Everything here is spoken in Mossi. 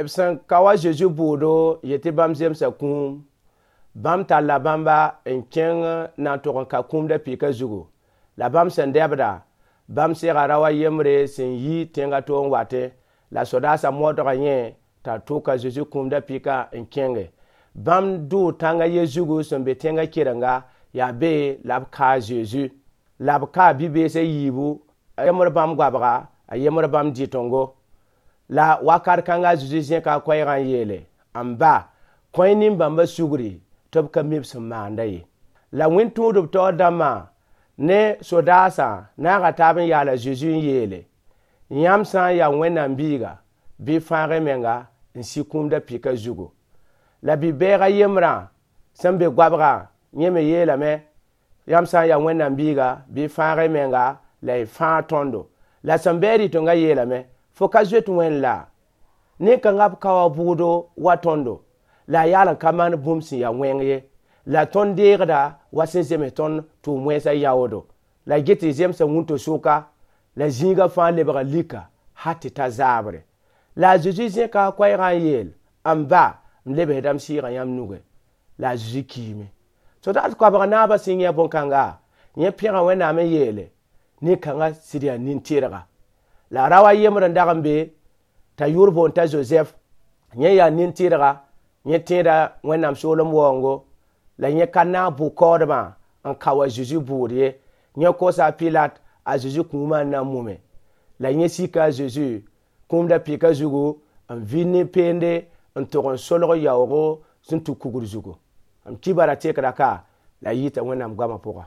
B sẽn ka wa Zeezi bʋʋdo n yet tɩ bãmb zemsa kũum, bãmb talla bãmba n kẽng na n tog n ka kũum da-pɩkã zugu. La bãmb sẽn dɛbda, bãmb sega rao a yembre sẽn yi tẽnga to n watẽ, la sodaasã modga yẽ t'a tʋk a Zeezi kũum da-pɩkã n kẽnge. Bãmb dʋʋ tãnga ye zugu sẽn be tẽngã kerenga, yaa be la b ka a Zeezi. La b kaa bi-bees a yiibu, a yembr bãmb goabga, a yembr bãmb dɩtengo. La wakat kãnga a Zeezi zẽka a koɛɛgã n yeele: M ba, kõ-y nin-bãmbã sugri tɩ b ka mi b sẽn maanda ye. La wẽn-tũudb taoor dãmbã ne sodaasã naaga taab n yaal a Zeezi n yeele: Yãmb sã n yaa Wẽnnaam biiga, bɩ y fãag y menga n sig kũum da-pɩkã zugu. La bi-bɛɛg a yembrã sẽn be goabgã, yẽ me yeelame: Yãmb sã n yaa Wẽnnaam biiga, bɩ y fãag y menga la y fãag tõndo. La sẽn bɩ a rɩtengã yeelame: Fo ka zoet Wẽnd la? Nin-kãngã b ka wa bʋʋdo wa tõndo, la a yaal n ka maan bũmb sẽn ya wẽng ye. La tõnd deegda wa sẽn zems tõnd tʋʋm-wẽnsã yaoodo. La get tɩ zemsa wũnto-sʋka, la zĩigã fãa lebga lika hal tɩ ta zaabre. La a Zeezi zẽka a koɛɛgã n yeel: M ba, m lebsda m sɩɩgã yãmb nugẽ. La a Zeezi kiime. Sodaas koabg naabã sẽn yẽ bõn-kãnga, yẽ pẽga Wẽnnaam n yeele: Nin-kãngã sɩd yaa nin-tɩrga. La rao a yembr n dag n be t'a yʋʋr boond t'a Zozɛf. Yẽ yaa nin-tɩrga, yẽ tẽeda Wẽnnaam soolem waoongo, la yẽ ka naag bʋ-kaoodbã n kao a Zeezi bʋʋd ye. Yẽ kosa a Pilat a Zeezi kũumã n na n mume. La yẽ sika a Zeezi kũum da-pɩkã zugu n vɩ ne peende n tog n solg yaoogo sẽn tũ kugr zugu. M kibara tekra ka la a yita Wẽnnaam goamã pʋga.